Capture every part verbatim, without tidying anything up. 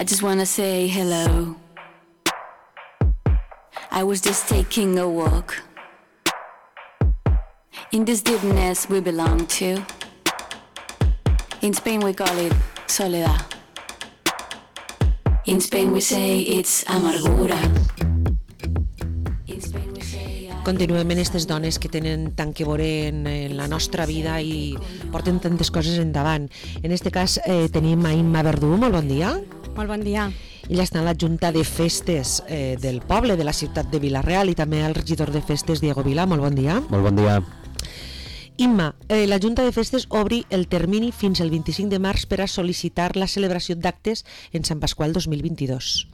I just wanna say hello. I was just taking a walk in this deepness we belong to. In Spain we call it soledad. In Spain we say it's amargura. Continuem en aquestes dones que tenen tant que veure en, en la nostra vida i porten tantes coses endavant. En aquest cas eh, tenim a Imma Verdú, molt bon dia. Molt bon dia. Ella està en la Junta de Festes eh, del poble, de la ciutat de Vila-real, i també el regidor de Festes, Diego Vila. Molt bon dia. Molt bon dia. Imma, eh, la Junta de Festes obri el termini fins al vint-i-cinc de març per a sol·licitar la celebració d'actes en Sant Pasqual dos mil vint-i-dos.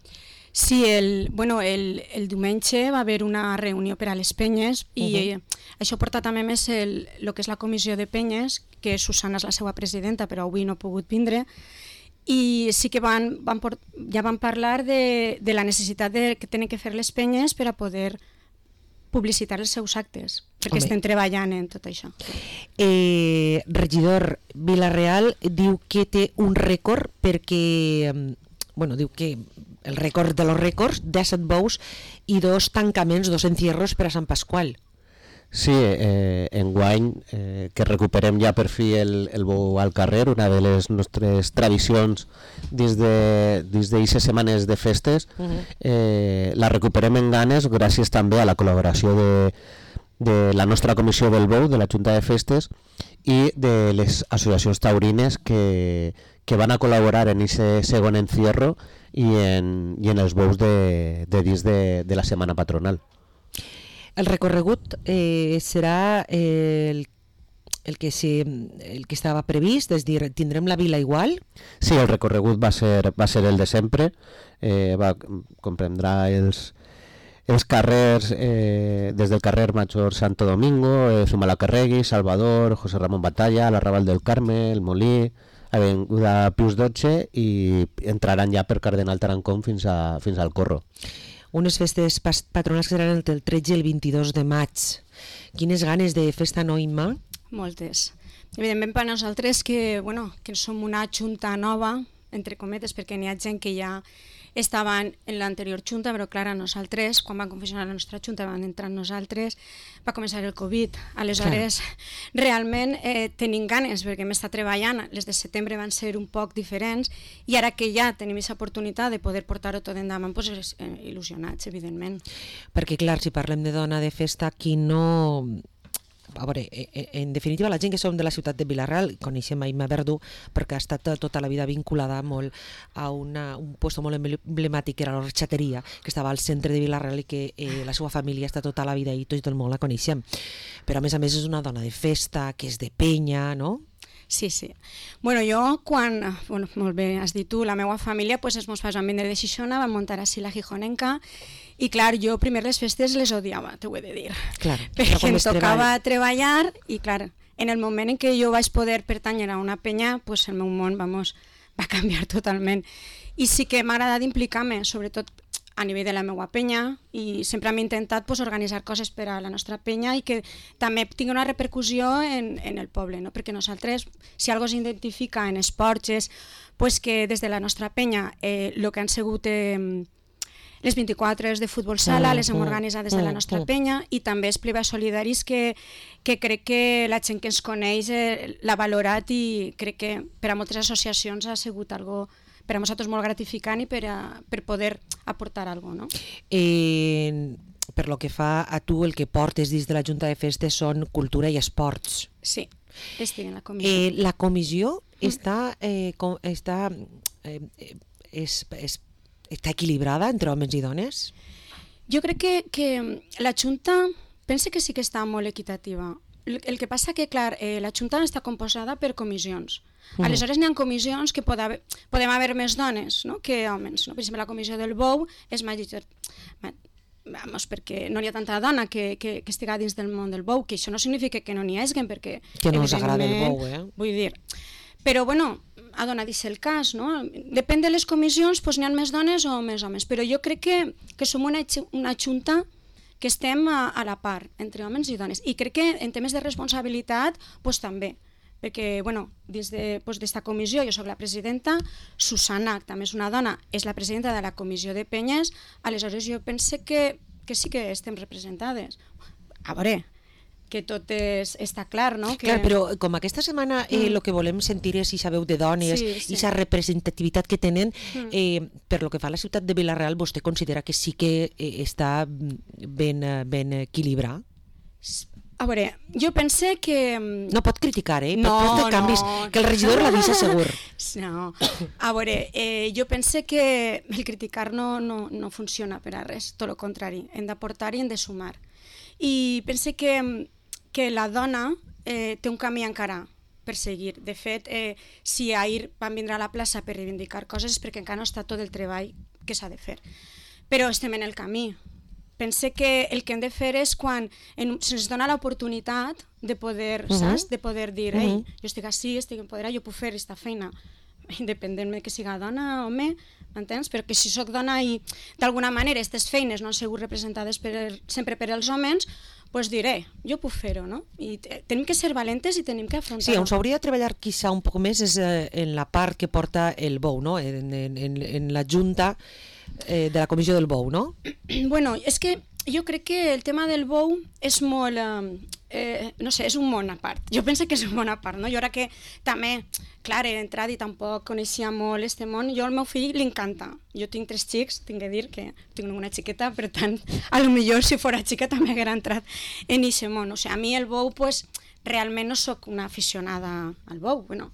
Sí, el, bueno, el, el diumenge va haver una reunió per a les penyes i uh-huh. eh, això porta també més el, el que és la comissió de penyes, que Susana és la seva presidenta, però avui no ha pogut vindre, i sí que van, van port, ja van parlar de, de la necessitat de, que tenen que fer les penyes per a poder publicitar els seus actes, perquè Home. estem treballant en tot això. Eh, regidor, Vila-real diu que té un rècord perquè, bueno, diu que el rècord de los rècords, disset bous i dos tancaments, dos encierros per a Sant Pasqual. Sí, eh, enguany eh, que recuperem ja per fi el, el bou al carrer, una de les nostres tradicions dins d'aquestes setmanes de festes, uh-huh. eh, la recuperem en ganes gràcies també a la col·laboració de, de la nostra comissió del bou, de la Junta de Festes, i de les associacions taurines que, que van a col·laborar en aquest segon encierro i en, i en els bous de, de dins de, de la setmana patronal. El recorregut eh, serà el, el, que si, el que estava previst, és dir, tindrem la vila igual? Sí, el recorregut va ser, va ser el de sempre, eh, va, comprendrà els, els carrers, eh, des del carrer Major Santo Domingo, eh, Zumalacárregui, Salvador, José Ramón Batalla, l'Arrabal del Carme, el Molí, Avinguda Pius dotze, i entraran ja per Cardenal Tarancón fins, a, fins al Corro. Unes festes patronals que seran el tretze i el vint-i-dos de maig. Quines ganes de festa, no, Imma? Moltes. Evidentment per nosaltres que, bueno, que som una junta nova, entre cometes, perquè n'hi ha gent que ja estaven en l'anterior junta, però clar, a nosaltres, quan van confeccionar la nostra junta, van entrar nosaltres, va començar el Covid. Aleshores, clar. realment eh, tenim ganes, perquè hem estat treballant, les de setembre van ser un poc diferents, i ara que ja tenim aquesta oportunitat de poder portar-ho tot endavant, doncs eh, il·lusionats, evidentment. Perquè clar, si parlem de dona de festa, qui no... A veure, en definitiva, la gent que som de la ciutat de Vila-real coneixem a Imma Verdú perquè ha estat tota la vida vinculada molt a una, un lloc molt emblemàtic, que era l'Orxateria, que estava al centre de Vila-real i que eh, la seva família està tota la vida i tot el món la coneixem. Però a més a més és una dona de festa, que és de penya, no? Sí, sí. Bueno, jo, quan, bueno, molt bé, has dit tu, la meva família, pues, els meus pares van vindre de Xixona, van muntar així la Gijonenca, i clar, jo primer les festes les odiava, t'ho he de dir. Clar, perquè em tocava treballar, i clar, en el moment en què jo vaig poder pertànyer a una penya, pues el meu món, vamos, va canviar totalment. I sí que m'ha agradat implicar-me, sobretot a nivell de la meva penya, i sempre hem intentat pues, organitzar coses per a la nostra penya i que també tingui una repercussió en, en el poble, no? Perquè nosaltres, si algo s'identifica en esports, és pues, que des de la nostra penya el eh, que han sigut eh, les vint-i-quatre hores de futbol sala, les hem organitzat des de la nostra penya, i també els privats solidaris que, que crec que la gent que ens coneix eh, l'ha valorat, i crec que per a moltes associacions ha sigut algo per a nosaltres molt gratificant i per, a, per poder aportar alguna cosa, no? Eh, per lo que fa a tu, el que portes dins de la Junta de Festes són cultura i esports. Sí, estic en la comissió. Eh, la comissió mm. està, eh, com, està, eh, és, és, està equilibrada entre homes i dones? Jo crec que, que la Junta, pense que sí que està molt equitativa. El, el que passa que, clar, eh, la Junta està composada per comissions. Mm. Aleshores n'hi ha comissions que pot haver, podem haver més dones, no?, que homes, no? Per exemple, la comissió del bou és major... Vamos, perquè no hi ha tanta dona que, que, que estiga dins del món del bou, que això no significa que no n'hi hagi, perquè... Que no us agrada el bou, eh? Vull dir... Però, bueno, ha donat el cas, no? Depèn de les comissions, doncs n'hi ha més dones o més homes, però jo crec que, que som una, una junta que estem a, a la part, entre homes i dones, i crec que en temes de responsabilitat, doncs també, perquè, bueno, dins d'esta comissió jo sóc la presidenta, Susana, que també és una dona, és la presidenta de la comissió de penyes, aleshores jo pense que, que sí que estem representades. A veure, que tot és, està clar, no? Que... Clar, però com aquesta setmana el eh, mm. que volem sentir és aquesta veu de dones, i sí, aquesta sí. representativitat que tenen, mm. eh, per lo que fa a la ciutat de Vila-real, vostè considera que sí que eh, està ben, ben equilibrat? A veure, jo pense que... No pot criticar, eh? No, pot fer canvis, no. Que el regidor l'avisa segur. No, a veure, eh, jo pense que el criticar no, no, no funciona per a res, tot el contrari, hem d'aportar i hem de sumar. I pense que, que la dona eh, té un camí encara per seguir. De fet, eh, si ahir van vindre a la plaça per reivindicar coses és perquè encara no està tot el treball que s'ha de fer. Però estem en el camí. Pense que el que hem de fer és quan en, se'ns dona l'oportunitat de poder, uh-huh. saps? De poder dir, ei, uh-huh. jo estic així, estic empoderat, jo puc fer aquesta feina, independentment que siga dona o home, m'entens? Però que si sóc dona i d'alguna manera aquestes feines no han sigut representades per, sempre per els homes, doncs diré, jo puc fer-ho, no? I tenim que ser valentes i tenim que afrontar-ho. Sí, on s'hauria de treballar quizá un poc més és eh, en la part que porta el bou, no? En, en, en, en la junta eh, de la comissió del bou, no? Bueno, és que jo crec que el tema del bou és molt... Eh, no sé, és un món a part. Jo penso que és un món a part, no? Jo ara que també, clar, he entrat i tampoc coneixia molt este món, jo al meu fill li encanta. Jo tinc tres xics, tinc que dir que tinc una xiqueta, per tant, a lo millor si fora xica també haguera entrat en aquest món. O sigui, a mi el bou, pues, realment no sóc una aficionada al bou, bueno,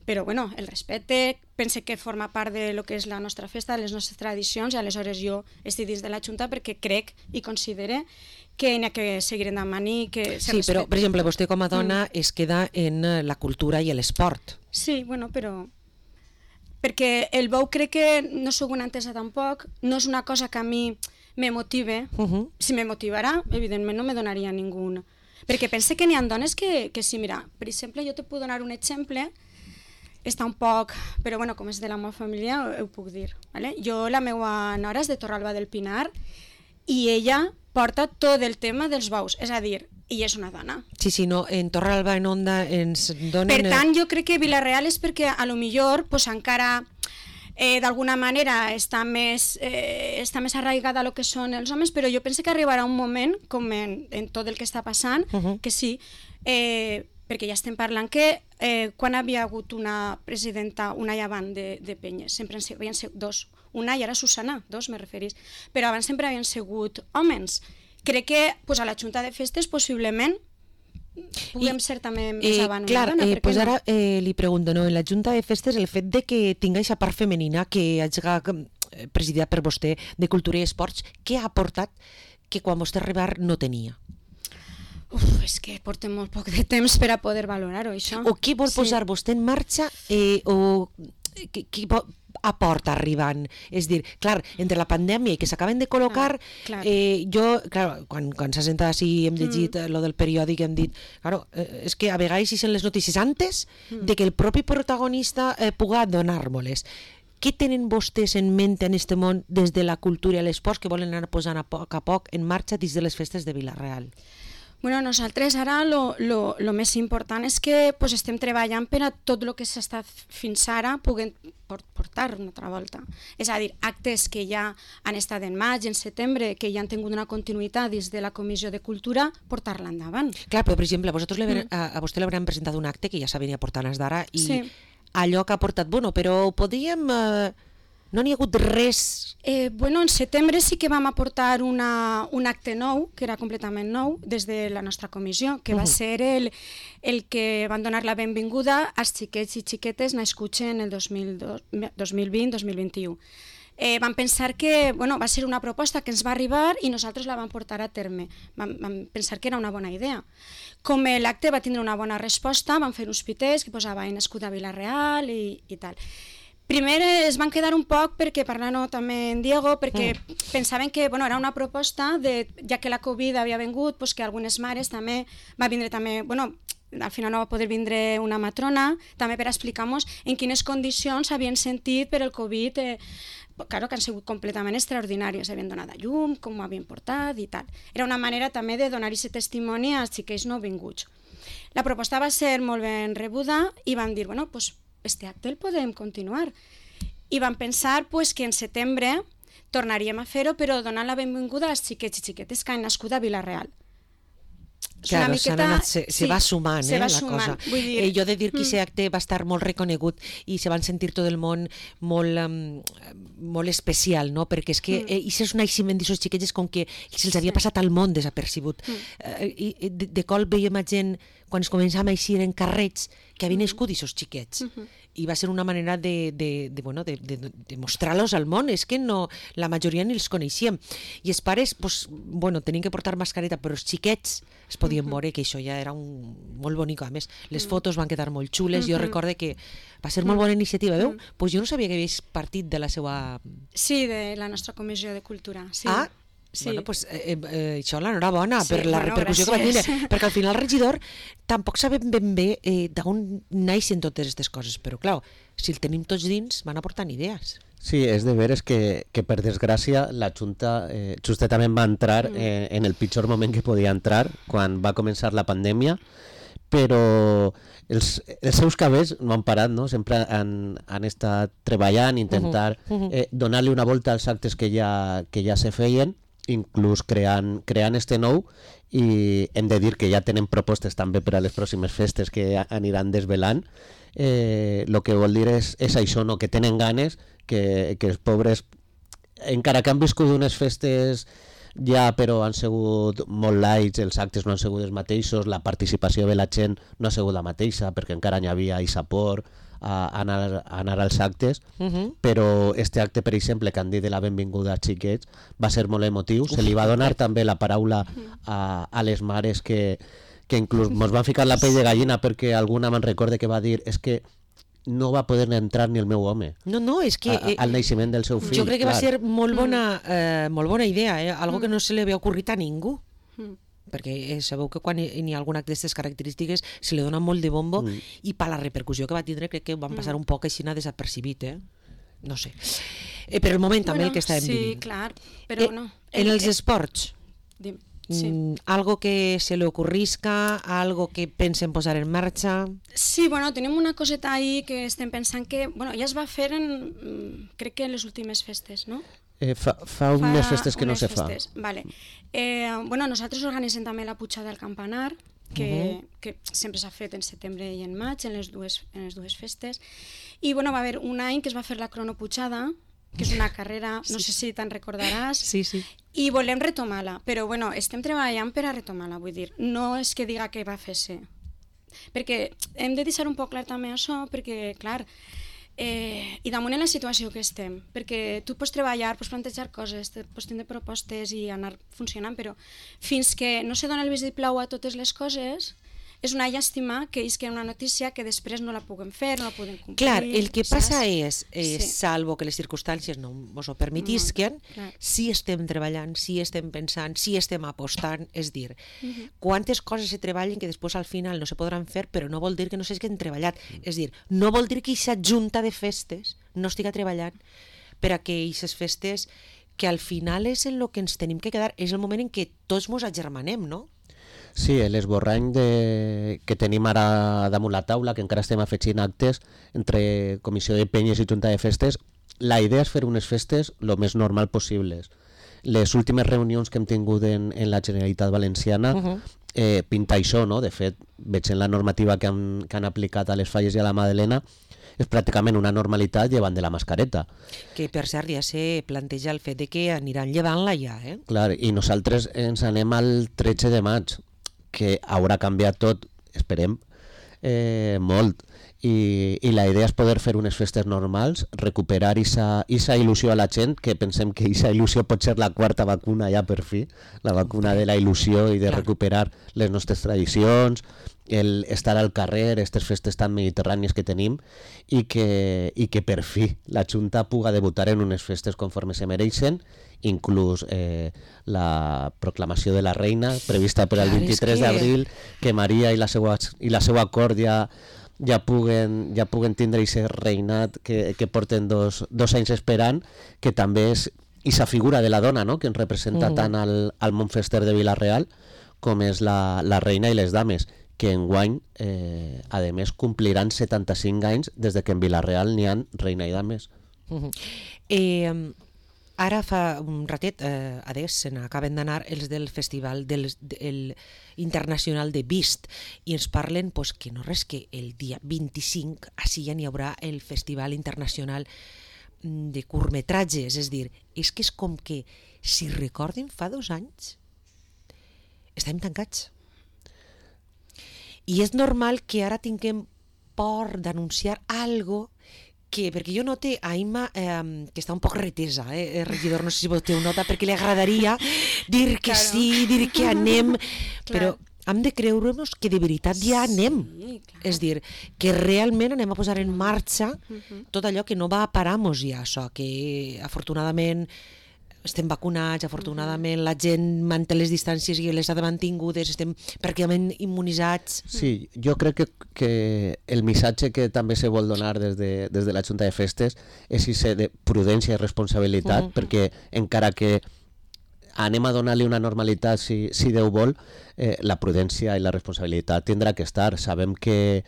però bueno, el respecte, pense que forma part de lo que és la nostra festa, de les nostres tradicions, i aleshores jo estic dins de la Junta perquè crec i considere que n'hi ha que seguir endavant i que se Sí, respecte. però, per exemple, vostè com a dona mm. es queda en la cultura i l'esport. Sí, bueno, però... Perquè el bou crec que no sóc una entesa tampoc, no és una cosa que a mi me motive. Uh-huh. Si me motivara, evidentment no me donaria ningú. Perquè pense que n'hi ha dones que, que sí, mira, per exemple, jo te puc donar un exemple, està un poc, però bueno, com és de la meva família, ho, ho puc dir. Vale? Jo, la meva nora és de Torralba del Pinar i ella porta tot el tema dels bous, és a dir, i és una dona. Sí, sí, no, en Torralba, en Onda, ens donen... Per tant, jo crec que Vila-real és perquè a lo millor pues, encara eh, d'alguna manera està més, eh, està més arraigada a lo que són els homes, però jo penso que arribarà un moment, com en, en tot el que està passant, uh-huh. que sí, eh, perquè ja estem parlant que eh, quan havia hagut una presidenta, una i abans de, de penyes, sempre havien sigut dos, una i ara Susana, dos me referís, però abans sempre havien sigut homes. Crec que pues, a la Junta de Festes possiblement puguem I, ser també més eh, avant clar, una dona. Eh, pues no? ara eh, li pregunto, no, en la Junta de Festes el fet de que tinga aquesta part femenina que hagi presidida per vostè de Cultura i Esports, què ha aportat que quan vostè arribar no tenia? Uf, és que portem molt poc de temps per a poder valorar-ho, això. O què vol posar sí. vostè en marxa eh, o què, què aporta arribant? És dir, clar, entre la pandèmia i que s'acaben de col·locar, clar, clar. Eh, jo, clar, quan, quan s'ha sentat així i hem llegit mm. lo del periòdic, hem dit, claro, eh, és que a vegades hi són les notícies antes mm. de que el propi protagonista eh, puga donar-me-les. Què tenen vostès en ment en aquest món des de la cultura i l'esport que volen anar posant a poc a poc en marxa dins de les festes de Vila-real? Bueno, nosaltres ara lo, lo, lo més important és que pues, estem treballant per a tot el que s'ha estat fins ara puguem portar una altra volta. És a dir, actes que ja han estat en maig, en setembre, que ja han tingut una continuïtat dins de la Comissió de Cultura, portar-la endavant. Clar, però per exemple, a, mm. a, a vostè l'hauran presentat un acte que ja s'ha venia portant des d'ara i sí. allò que ha portat, bueno, però podríem... Eh... No n'hi ha hagut res? Eh, bueno, en setembre sí que vam aportar una, un acte nou, que era completament nou, des de la nostra comissió, que uh-huh. va ser el, el que van donar la benvinguda als xiquets i xiquetes nascuts en el dos mil vint dos mil vint-i-u. Eh, vam pensar que bueno, va ser una proposta que ens va arribar i nosaltres la vam portar a terme. Vam, vam pensar que era una bona idea. Com l'acte va tindre una bona resposta, vam fer uns piters que posaven nascut a Vila-real i, i tal. Primer es van quedar un poc perquè parlant també en Diego, perquè mm. pensaven que bueno, era una proposta, de, ja que la Covid havia vingut, pues, que algunes mares també, va vindre també, bueno, al final no va poder vindre una matrona, també per explicar-nos en quines condicions s'havien sentit per el Covid, eh, claro, que han sigut completament extraordinàries, havien donat a llum, com ho havien portat i tal. Era una manera també de donar aquest testimoni als xiquets no vinguts. La proposta va ser molt ben rebuda i van dir, bueno, pues este acte el podem continuar. I van pensar pues, que en setembre tornaríem a fer-ho, però donant la benvinguda als xiquets i xiquetes que han nascut a Vila-real. Claro, miqueta... anat, se, se sí, va sumant, se eh, va la sumant. cosa. Vull dir... Eh, jo he de dir que aquest mm. acte va estar molt reconegut i se van sentir tot el món molt, um, molt especial, no? Perquè és que mm. eh, és un naixement d'aquests xiquets com que se'ls havia passat al món desapercebut. Mm. Eh, i de, de cop veiem a gent, quan es començàvem a eixir en carrets, que havien nascut aquests xiquets. Mm -hmm. I va ser una manera de, de, de, bueno, de, de, de mostrar-los al món. És que no, la majoria ni els coneixíem. I els pares, pues, bueno, tenien que portar mascareta, però els xiquets es podien mm -hmm. veure que això ja era un, molt bonic. A més, les mm. fotos van quedar molt xules. Mm -hmm. Jo recorde que va ser molt bona iniciativa. Veu? Mm. Pues jo no sabia que havies partit de la seva... Sí, de la nostra comissió de cultura. Sí. Ah, sí. Bueno, pues, eh, eh, això l'enhorabona sí, per la bueno, repercussió gràcies. Que va tindre, perquè al final el regidor tampoc sabem ben bé eh, d'on naixen totes aquestes coses, però clar, si el tenim tots dins van aportant idees. Sí, és de veres que, que per desgràcia la Junta eh, justament va entrar mm. eh, en el pitjor moment que podia entrar, quan va començar la pandèmia, però els, els seus cabells no han parat, no? Sempre han, han estat treballant, intentar uh -huh. eh, donar-li una volta als actes que ja, que ja se feien, inclús creant, creant este nou, i hem de dir que ja tenen propostes també per a les pròximes festes que aniran desvelant. Eh, el que vol dir és, és això, no? Que tenen ganes, que, que els pobres, encara que han viscut unes festes ja, però han sigut molt lights, els actes no han sigut els mateixos, la participació de la gent no ha sigut la mateixa, perquè encara n'hi havia isapor a anar, a anar als actes, uh -huh. però este acte, per exemple, que han dit de la benvinguda als xiquets, va ser molt emotiu. Uf, se li va donar també la paraula a, a les mares que, que inclús mos van ficar la pell de gallina, perquè alguna me'n recorde que va dir és que no va poder entrar ni el meu home. No, no, és que... A, al naixement del seu fill. Jo crec que clar. va ser molt bona, eh, molt bona idea, eh? Algo que no se li havia ocorrit a ningú. Mm. Perquè eh, sabeu que quan hi ha alguna d'aquestes característiques se li dona molt de bombo mm. i per la repercussió que va tindre crec que van passar un poc així desapercibit, eh? No sé. Eh, per el moment bueno, també el que estàvem sí, vivint. Sí, clar, però eh, no. En els eh, esports, dim, sí. mm, algo que se li ocorrisca, algo que pensen posar en marxa... Sí, bueno, tenim una coseta ahí que estem pensant que, bueno, ja es va fer en, crec que en les últimes festes, no? Eh, fa, fa unes fa festes que no se festes. fa. Vale. Eh, bueno, nosaltres organitzem també la pujada del campanar, que, uh -huh. que sempre s'ha fet en setembre i en maig, en les dues, en les dues festes. I bueno, va haver un any que es va fer la cronopujada, que és una carrera, no sí. sé si te'n recordaràs, sí, sí. i volem retomar-la, però bueno, estem treballant per a retomar-la, vull dir, no és que diga que va fer-se, perquè hem de deixar un poc clar també això, perquè, clar, Eh, i damunt en la situació que estem, perquè tu pots treballar, pots plantejar coses, pots tenir propostes i anar funcionant, però fins que no se dona el vistiplau a totes les coses, és una llàstima que és que una notícia que després no la puguem fer, no la podem complir. Clar, el que saps? passa és, eh, sí. salvo que les circumstàncies no ens ho permetisquen, no, si estem treballant, si estem pensant, si estem apostant, és dir, uh -huh. quantes coses se treballen que després al final no se podran fer, però no vol dir que no s'hagin treballat. Uh -huh. És dir, no vol dir que aquesta junta de festes no estiga treballant per a que aquestes festes, que al final és en el que ens tenim que quedar, és el moment en què tots ens agermanem, no? Sí, l'esborrany de... que tenim ara damunt la taula, que encara estem afegint actes entre Comissió de Penyes i Junta de Festes, la idea és fer unes festes el més normal possibles. Les últimes reunions que hem tingut en, en la Generalitat Valenciana uh -huh. eh, pinta això, no? De fet, veig en la normativa que han, que han aplicat a les Falles i a la Madalena, és pràcticament una normalitat llevant de la mascareta. Que per cert ja se planteja el fet de que aniran llevant-la ja, eh? Clar, i nosaltres ens anem al tretze de maig, que haurà canviat tot, esperem, eh, molt. I, i la idea és poder fer unes festes normals, recuperar aquesta il·lusió a la gent, que pensem que aquesta il·lusió pot ser la quarta vacuna ja per fi, la vacuna de la il·lusió i de recuperar les nostres tradicions, el estar al carrer, aquestes festes tan mediterrànies que tenim, i que, i que per fi la Junta puga debutar en unes festes conforme se mereixen, inclús eh, la proclamació de la reina prevista per al vint-i-tres que... d'abril, que Maria i la seva, i la seva cort ja, ja, puguen, ja puguen tindre aquest reinat que, que porten dos, dos anys esperant, que també és aquesta figura de la dona, no?, que ens representa mm. tant al, al món fester de Vila-real com és la, la reina i les dames, que enguany, eh, a més, compliran setanta-cinc anys des de que en Vila-real n'hi ha Reina i Dames. Uh-huh. eh, Ara fa un ratet, eh, adés, se n'acaben d'anar els del Festival del, del Internacional de Vist i ens parlen pues, que no res que el dia vint-i-cinc així ja n'hi haurà el Festival Internacional de curtmetratges, és dir, és que és com que, si recorden, fa dos anys estàvem tancats. I és normal que ara tinguem por d'anunciar algo que, perquè jo note a Imma eh, que està un poc retesa, eh, regidor, no sé si vostè ho nota, perquè li agradaria dir que claro. sí, dir que anem, però hem de creure-nos que de veritat ja anem. Sí, és dir, que realment anem a posar en marxa tot allò que no va a parar-nos ja, això, que afortunadament estem vacunats, afortunadament la gent manté les distàncies i les ha mantingudes, estem pràcticament immunitzats. Sí, jo crec que, que el missatge que també se vol donar des de, des de la Junta de Festes és ese de prudència i responsabilitat, uh-huh. perquè encara que anem a donar-li una normalitat si, si Déu vol, eh, la prudència i la responsabilitat tindrà que estar. Sabem que,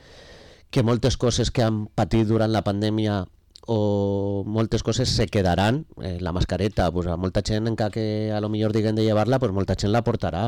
que moltes coses que han patit durant la pandèmia o moltes coses se quedaran, eh, la mascareta, pues a molta gent, encara que a lo millor diguen de llevar-la, pues molta gent la portarà,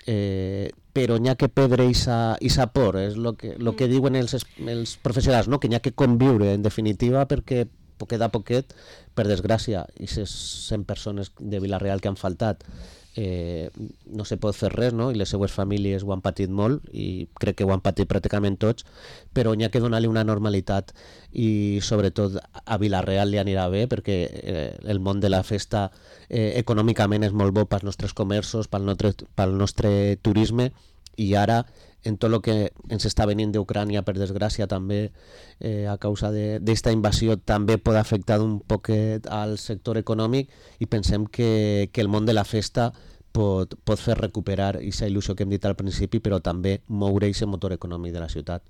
eh, però n'hi ha que perdre aquesta por, és el que, lo que diuen els, els professionals, no? Que n'hi ha que conviure, en definitiva, perquè poquet a poquet, per desgràcia, aquestes cent persones de Vila-real que han faltat, eh, no se pot fer res, no? I les seues famílies ho han patit molt i crec que ho han patit pràcticament tots, però n'hi ha que donar-li una normalitat i sobretot a Vila-real li anirà bé perquè eh, el món de la festa eh, econòmicament és molt bo pels nostres comerços, pel nostre, pel nostre turisme i ara en tot el que ens està venint d'Ucrània, per desgràcia, també eh, a causa d'esta invasió, també pot afectar un poquet al sector econòmic i pensem que, que el món de la festa pot, pot fer recuperar aquesta il·lusió que hem dit al principi, però també moure aquest motor econòmic de la ciutat.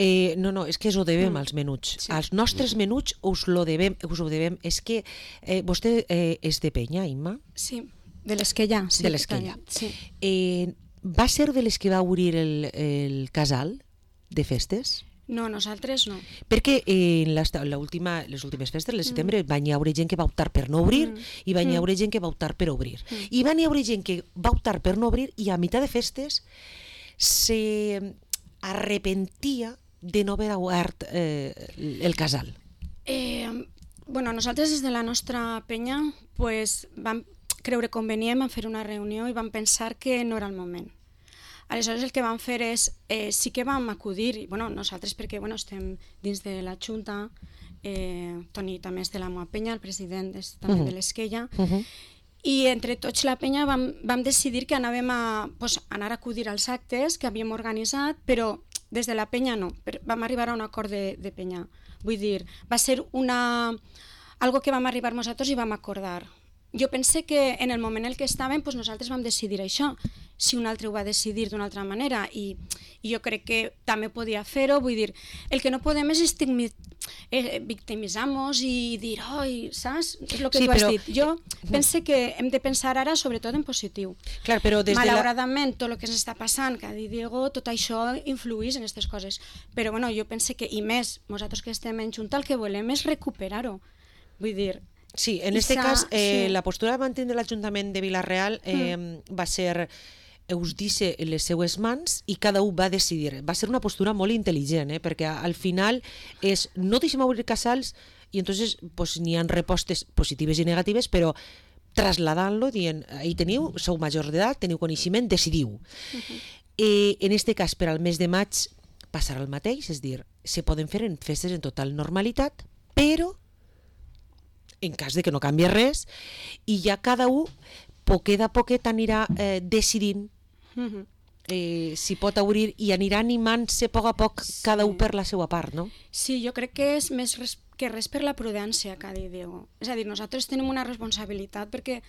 Eh, no, no, és que us ho devem mm. als menuts. Sí. Als nostres menuts us, lo devem, us ho devem. És que eh, vostè eh, és de Penya, Imma? Sí, de l'Esquella. Sí, de l'Esquella. Sí. Eh, va ser de les que va obrir el, el casal de festes? No, nosaltres no. Perquè en les últimes festes, el setembre, mm. van hi haure gent que va optar per no obrir mm. i van hi haure gent que va optar per obrir. Mm. I van hi haure gent que va optar per no obrir i a mitjà de festes se arrepentia de no haver obert eh, el casal. Eh, bueno, nosaltres des de la nostra penya pues, vam creure convenient, vam fer una reunió i vam pensar que no era el moment. Aleshores el que vam fer és, eh, sí que vam acudir, i, bueno, nosaltres perquè bueno, estem dins de la Junta, eh, Toni també és de la meva penya, el president és també uh-huh. de l'Esquella, uh-huh. i entre tots la penya vam, vam decidir que anàvem a pues, anar a acudir als actes que havíem organitzat, però des de la penya no, vam arribar a un acord de, de penya. Vull dir, va ser una, algo que vam arribar nosaltres i vam acordar. Jo pense que en el moment en què estàvem pues nosaltres vam decidir això, si un altre ho va decidir d'una altra manera i, i jo crec que també podia fer-ho, vull dir, el que no podem és estigmi, eh, victimitzar-nos i dir, oi, saps? És el que sí, tu has però... dit. Jo pense que hem de pensar ara sobretot en positiu. Clar, però des Malauradament, de la... tot el que ens està passant, que ha dit Diego, tot això influïx en aquestes coses. Però bueno, jo pense que, i més, nosaltres que estem en Junta, el que volem és recuperar-ho. Vull dir... Sí, en aquest cas, eh, sí. la postura de mantenir l'Ajuntament de Vila-real eh, mm. va ser us deixa les seues mans i cada un va decidir. Va ser una postura molt intel·ligent, eh, perquè al final és no deixem obrir casals i entonces pues, n'hi ha respostes positives i negatives, però trasladant-lo, dient, ahí teniu, sou majors d'edat, teniu coneixement, decidiu. Uh-huh. Eh, en aquest cas, per al mes de maig, passarà el mateix, és dir, se poden fer en festes en total normalitat, però en cas de que no canvi res, i ja cada un poquet a poquet anirà eh, decidint eh, si pot obrir i anirà animant-se a poc a poc sí. cada un per la seva part, no? Sí, jo crec que és més res, que res per la prudència, que ha dit Diego. És a dir, nosaltres tenim una responsabilitat perquè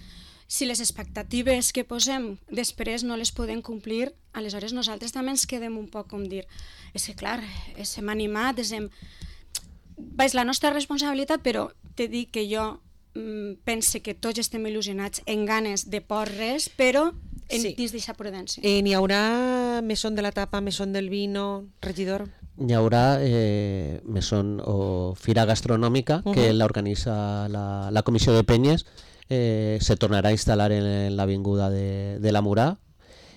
si les expectatives que posem després no les podem complir, aleshores nosaltres també ens quedem un poc com dir, és que clar, hem animat, hem... és la nostra responsabilitat, però t'he dit que jo mm, pense que tots estem il·lusionats en ganes de por res, però en, Sí. dins d'aquesta prudència. Eh, N'hi haurà mesón de la tapa, mesón del vino, regidor? Hi haurà eh, mesón o fira gastronòmica uh -huh. que l'organitza la, la Comissió de Penyes. Eh, se tornarà a instal·lar en l'avinguda de, de la Murà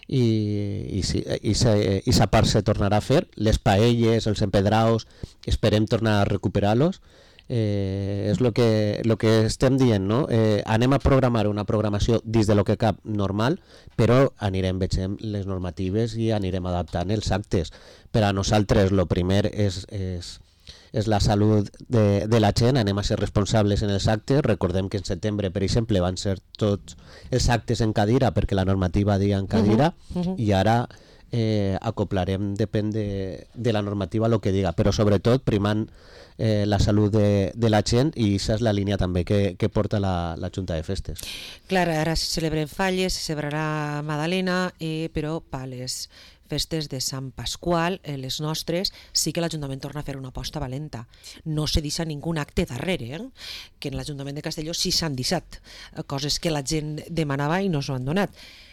i, i, si, i, se, i sa part se tornarà a fer. Les paelles, els empedraus, esperem tornar a recuperar-los. Eh, és el que, lo que estem dient, no? Eh, anem a programar una programació dins de lo que cap normal, però anirem veient les normatives i anirem adaptant els actes. Per a nosaltres el primer és, és, és la salut de, de la gent, anem a ser responsables en els actes. Recordem que en setembre, per exemple, van ser tots els actes en cadira perquè la normativa dia en cadira uh -huh, uh -huh. i ara eh, acoplarem, depèn de, de la normativa el que diga, però sobretot primant Eh, la salut de, de la gent, i això és la línia també que, que porta la, la Junta de Festes. Clar, ara se celebren falles, se celebrarà Madalena, eh, però per les festes de Sant Pasqual, eh, les nostres, sí que l'Ajuntament torna a fer una aposta valenta. No se deixa ningú acte darrere, eh? Que en l'Ajuntament de Castelló sí s'han deixat, eh, coses que la gent demanava i no s'ho han donat.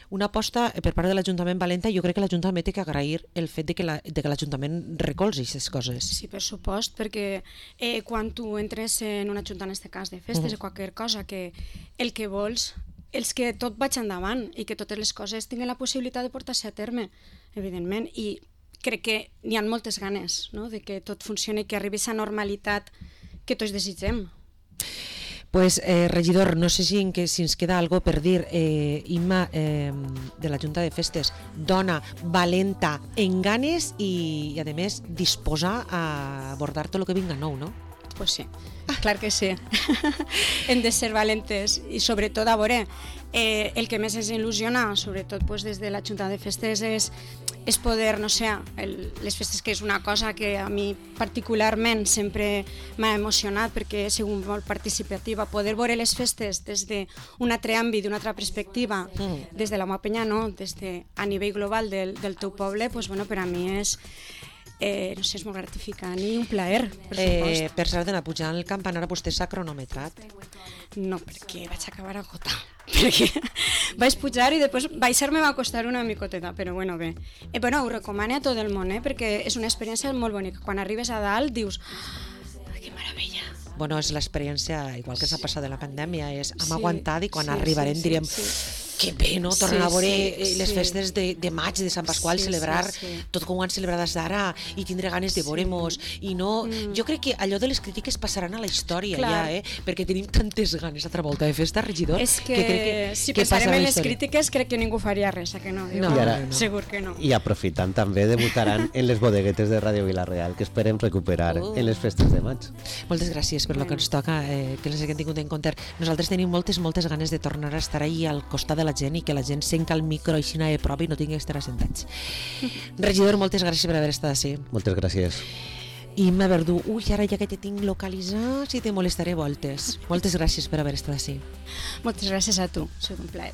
Una aposta per part de l'Ajuntament valenta, jo crec que l'Ajuntament té que agrair el fet de que, la, de que l'Ajuntament recolzi aquestes coses. Sí, per supost, perquè eh, quan tu entres en una junta, en aquest cas de festes, uh -huh. o qualsevol cosa, que el que vols és que tot vagi endavant i que totes les coses tinguin la possibilitat de portar-se a terme, evidentment, i crec que n'hi ha moltes ganes, no?, de que tot funcioni i que arribi a aquesta normalitat que tots desitgem. Pues, eh, regidor, no sé si, en que, si ens queda algo per dir. Eh, Imma, eh, de la Junta de Festes, dona valenta en ganes i, i a més, disposar a abordar tot el que vinga nou, no? Pues sí, clar que sí. Hem de ser valentes i sobretot, a veure, eh, el que més ens il·lusiona, sobretot pues, des de la Junta de Festes, és, és poder, no sé, el, les festes, que és una cosa que a mi particularment sempre m'ha emocionat perquè he sigut molt participativa, poder veure les festes des d'un altre àmbit, d'una altra perspectiva, mm. des de la meva penya, no, des de, a nivell global del, del teu poble, pues, bueno, per a mi és Eh, no sé, és molt gratificant i un plaer, per supost. Eh, per cert, d'anar pujant el campanar, vostè s'ha cronometrat? No, perquè vaig acabar agotar. Perquè vaig pujar i després baixar-me va costar una micoteta, però bueno, bé. Eh, bueno, ho recomano a tot el món, eh, perquè és una experiència molt bonica. Quan arribes a dalt dius, oh, que meravella. Bueno, és l'experiència, igual que s'ha passat de la pandèmia, és hem sí, aguantat i quan sí, arribarem sí, direm sí, sí. que bé, no? Tornar sí, a veure sí, les sí. festes de, de maig, de Sant Pasqual, sí, celebrar sí, sí. tot com ho han celebrat des d'ara i tindre ganes de veure-mos. I no, mm. jo crec que allò de les crítiques passaran a la història Clar. ja, eh? Perquè tenim tantes ganes altra volta de festa, regidor. És que, que, crec que si que pensarem en les crítiques, crec que ningú faria res, que no? Diu, no, ara, no. Segur que no. I aprofitant també debutaran en les bodeguetes de Ràdio Vila-real, que esperem recuperar uh. en les festes de maig. Moltes gràcies per bueno. lo que ens toca, eh, que les haguem tingut en compte. Nosaltres tenim moltes, moltes ganes de tornar a estar ahí al costat de la gent i que la gent senca el micro així de prova i no tingui que estar assentats. Regidor, moltes gràcies per haver estat així. Moltes gràcies. Imma Verdú, ui, ara ja que te tinc localitzat, si te molestaré voltes. Moltes gràcies per haver estat així. Moltes gràcies a tu, és un plaer.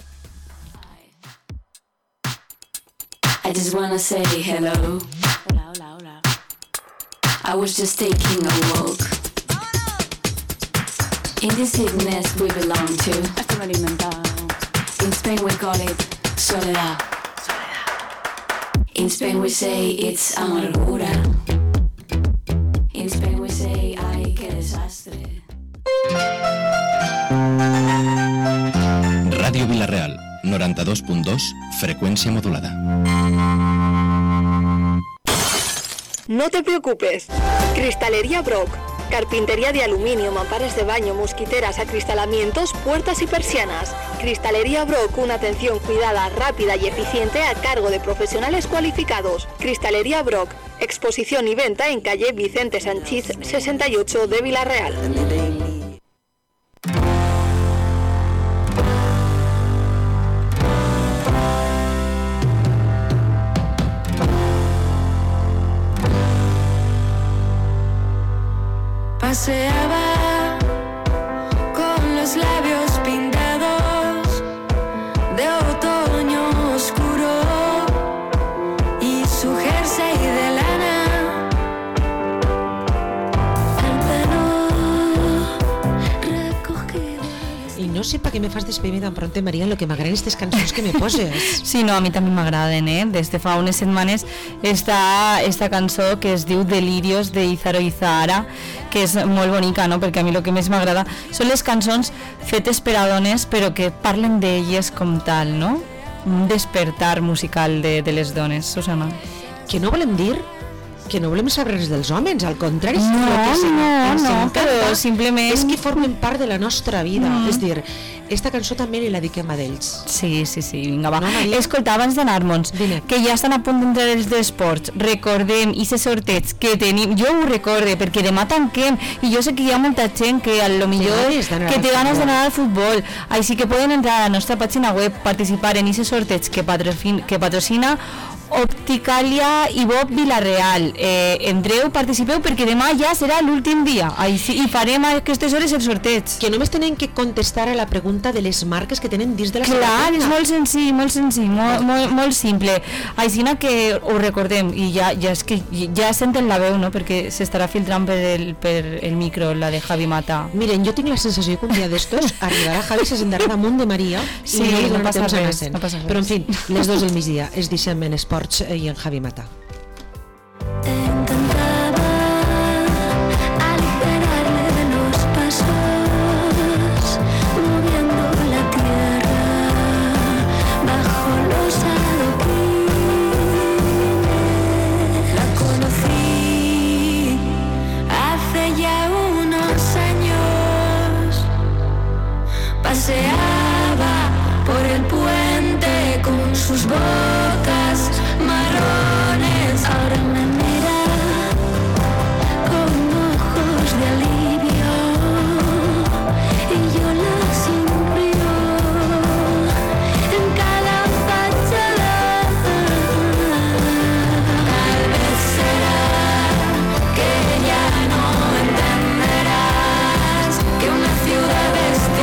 I just wanna say hello. Hola, hola, hola. I was just taking a walk. In this sickness we belong to. Esto me lo he inventado. In Spain we call it soledad. In Spain we say it's amargura. In Spain we say ay, qué desastre. Ràdio Vila-real, noranta-dos punt dos, frecuencia modulada. No te preocupes. Cristalería Brock. Carpintería de aluminio, mamparas de baño, mosquiteras, acristalamientos, puertas y persianas. Cristalería Brock, una atención cuidada, rápida y eficiente a cargo de profesionales cualificados. Cristalería Brock, exposición y venta en calle Vicente Sanchís sesenta y ocho de Vila-real. Paseaba con los labios pintados de otoño oscuro y su jersey de lana, el pelo recogido. I no sé per què me fas despedir tan pronte, Maria, en lo que m'agraden aquestes cançons que me poses. Sí, no, a mi també m'agraden, eh? Des de fa unes setmanes està esta cançó que es diu Delirios de Izaro Izahara, que és molt bonica, no? Perquè a mi el que més m'agrada són les cançons fetes per a dones, però que parlen d'elles com tal, no? Un despertar musical de, de les dones, Susana. Que no volem dir que no volem saber res dels homes, al contrari, no, el que sí, no, ens no, encanta però simplement és que formen part de la nostra vida, mm. és dir, esta cançó també li la dediquem a d'ells. Sí, sí, sí, vinga, va. No, escolta, abans d'anar-nos, que ja estan a punt d'entrar els d'esports, recordem i se sorteig que tenim, jo ho recorde, perquè demà tanquem, i jo sé que hi ha molta gent que a lo millor que té ganes d'anar al futbol, així que poden entrar a la nostra pàgina web, participar en aquest sorteig que, patrocina, que patrocina Opticalia i Bob Vilareal. Eh, entreu, participeu, perquè demà ja serà l'últim dia. Ai, sí, i farem a aquestes hores el sorteig. Que només tenen que contestar a la pregunta de les marques que tenen dins de la Clar, sabateta. És molt senzill, molt senzill, molt, molt, molt simple. Així que ho recordem, i ja, ja, és que ja senten la veu, no? Perquè s'estarà filtrant per el, per el micro, la de Javi Mata. Miren, jo tinc la sensació que un dia d'estos arribarà Javi, se sentarà damunt de Maria sí, i no li no donarà passa temps res, a no passa res. Però en fi, les dos del migdia, es deixem en Esports i en Javi Mata.